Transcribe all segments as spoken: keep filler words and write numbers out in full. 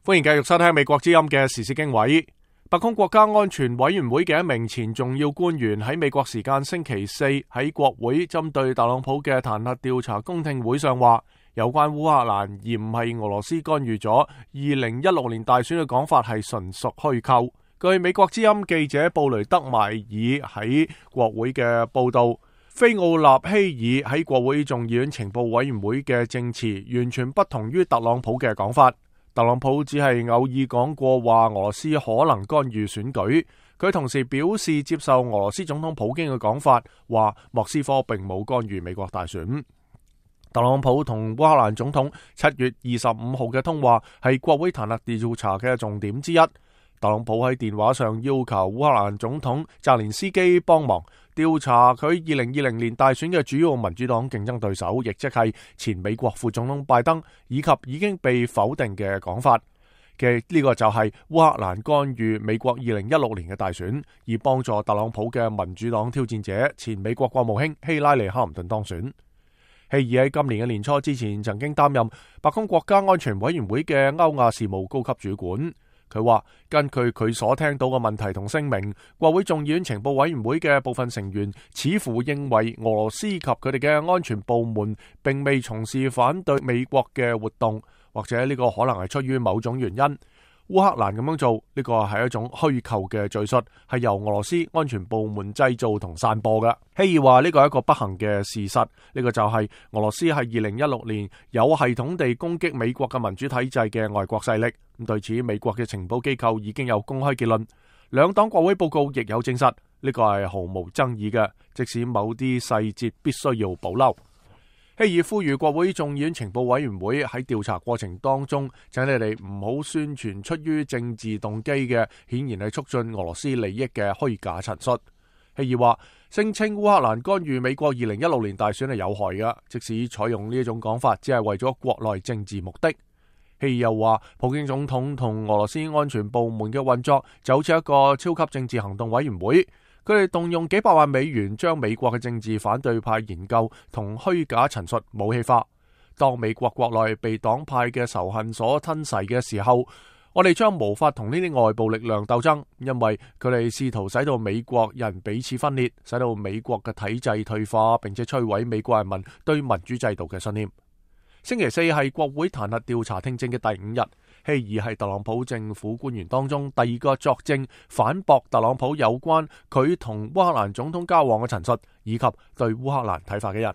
歡迎繼續收聽美國之音嘅時事經緯。白宮國家安全委員會嘅一名前重要官員喺美國時間星期四喺國會針對特朗普嘅彈劾調查公聽會上話，有關烏克蘭而唔係俄羅斯干預咗二零一六年大選嘅講法係純屬虛構。據美國之音記者布雷德邁爾喺國會嘅報道，菲奧納希爾喺國會眾議院情報委員會嘅證詞完全不同於特朗普嘅講法。特朗普只係偶爾講過話俄羅斯可能干預選舉，佢同時表示接受俄羅斯總統普京嘅講法，話莫斯科並冇干預美國大選。特朗普同烏克蘭總統七月二十五號嘅通話係國會彈劾調查嘅重點之一。特朗普喺電話上要求烏克蘭總統澤連斯基幫忙調查佢二零二零年大選嘅主要民主黨競爭對手，亦即係前美國副總統拜登，以及已經被否定嘅講法嘅呢個就係烏克蘭干預美國二零一六年嘅大選，以幫助特朗普嘅民主黨挑戰者前美國國務卿希拉里·克林頓當選。希爾喺今年嘅年初之前曾經擔任白宮國家安全委員會嘅歐亞事務高級主管。佢話根據佢所聽到嘅問題同聲明，國會眾議院情報委員會嘅部分成員似乎認為俄羅斯及佢哋嘅安全部門並未從事反對美國嘅活動，或者呢個可能係出於某種原因。烏克蘭咁樣做，呢個係一種虛構嘅敘述，係由俄羅斯安全部門製造同散播嘅。希爾話呢個係一個不幸嘅事實，呢個就係俄羅斯係二零一六年有系統地攻擊美國嘅民主體制嘅外國勢力。咁對此，美國嘅情報機構已經有公開結論，兩黨國會報告亦有證實，呢個係毫無爭議嘅，即使某啲細節必須要保留。希爾呼籲國會眾議院情報委員會喺調查過程當中，請你哋唔好宣傳出於政治動機嘅，顯然係促進俄羅斯利益嘅虛假陳述。希爾話，聲稱烏克蘭干預美國二零一六年大選係有害嘅，即使採用呢一種講法，只係為咗國內政治目的。希爾又話，普京總統同俄羅斯安全部門嘅運作就好似一個超級政治行動委員會。佢哋動用幾百萬美元將美國嘅政治反對派研究同虛假陳述武器化。當美國國內被黨派嘅仇恨所吞噬嘅時候，我哋將無法同呢啲外部力量鬥爭，因為佢哋試圖使到美國人彼此分裂，使到美國嘅體制退化，並且摧毀美國人民對民主制度嘅信念。星期四係國會彈劾調查聽證嘅第五日，希爾係特朗普政府官員當中第二個作證反駁特朗普有關佢同烏克蘭總統交往嘅陳述，以及對烏克蘭睇法嘅人。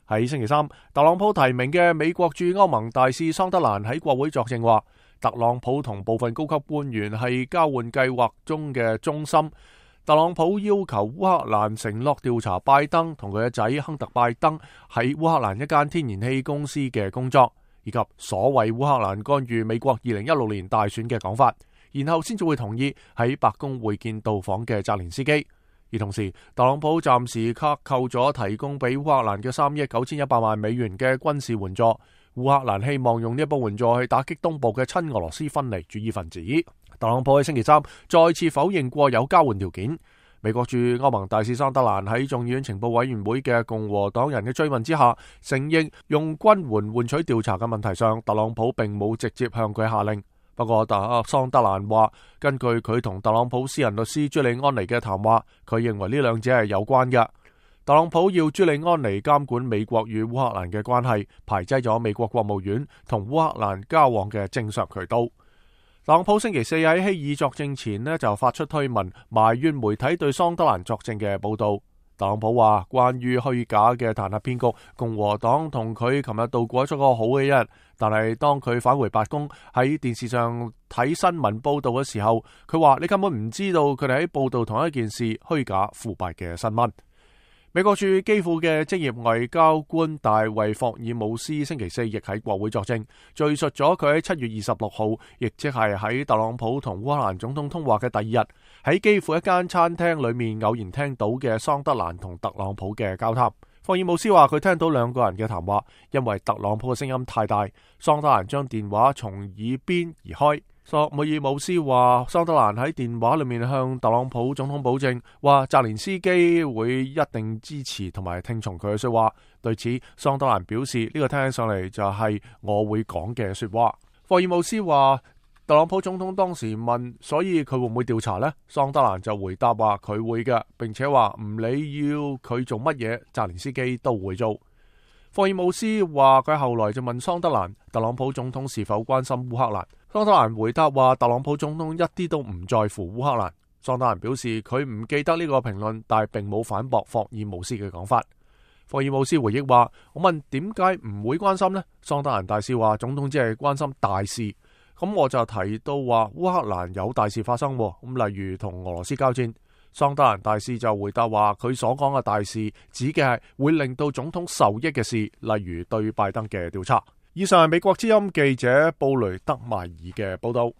喺星期三，特朗普提名嘅美國駐歐盟大使桑德蘭喺國會作證話，特朗普同部分高級官員係交換計劃中嘅中心。特朗普要求烏克蘭承諾調查拜登同佢嘅仔亨特拜登喺烏克蘭一間天然氣公司嘅工作，以及所謂烏克蘭干預美國二零一六年大選嘅講法，然後先至會同意喺白宮會見到訪嘅澤連斯基。而同時，特朗普暫時克扣咗提供俾烏克蘭嘅三億九千一百萬美元嘅軍事援助。烏克蘭希望用呢一筆援助去打擊東部嘅親俄羅斯分離主義分子。特朗普喺星期三再次否認過有交換條件。美國駐歐盟大使桑德蘭喺眾議院情報委員會嘅共和黨人嘅追問之下，承認用軍援換取調查嘅問題上，特朗普並冇直接向佢下令。不過，特桑德蘭話，根據佢同特朗普私人律師朱利安尼嘅談話，佢認為呢兩者係有關嘅。特朗普要朱利安尼監管美國與烏克蘭嘅關係，排擠咗美國國務院同烏克蘭交往嘅正常渠道。特朗普星期四喺希爾作證前呢，就發出推文，埋怨媒體對桑德蘭作證嘅報道。特朗普話，關於虛假嘅彈劾騙局，共和黨同佢琴日度過咗個好嘅一日，但係當佢返回白宮喺電視上睇新聞報道嘅時候，佢話你根本唔知道佢哋喺報道同一件事虛假腐敗嘅新聞。美國駐基輔嘅職業外交官大衛霍爾姆斯星期四亦喺國會作證，敘述咗佢喺七月二十六號，亦即係喺特朗普同烏克蘭總統通話嘅第二日，喺基輔一間餐廳裏面偶然聽到嘅桑德蘭同特朗普嘅交談。霍爾姆斯話佢聽到兩個人嘅談話，因為特朗普嘅聲音太大，桑德蘭將電話從耳邊移開。索姆爾姆斯話，桑德蘭喺電話裏面向特朗普總統保證，話澤連斯基會一定支持同埋聽從佢嘅說話。對此，桑德蘭表示呢個聽起上嚟就係我會講嘅說話。霍爾姆斯話，特朗普總統當時問，所以佢會唔會調查呢？桑德蘭就回答話佢會嘅，並且話唔理要佢做乜嘢，澤連斯基都會做。霍爾姆斯話佢後來就問桑德蘭，特朗普總統是否關心烏克蘭？桑德蘭回答話特朗普總統一啲都唔在乎烏克蘭。桑德蘭表示佢唔記得呢個評論，但係並冇反駁霍爾姆斯嘅講法。霍爾姆斯回憶話，我問點解唔會關心呢？桑德蘭大使話總統只係關心大事。咁我就提到話烏克蘭有大事發生，咁例如同俄羅斯交戰。桑德蘭大使就回答話佢所講嘅大事指嘅係會令到總統受益嘅事，例如對拜登嘅調查。以上係美國之音記者布雷德邁爾嘅報道。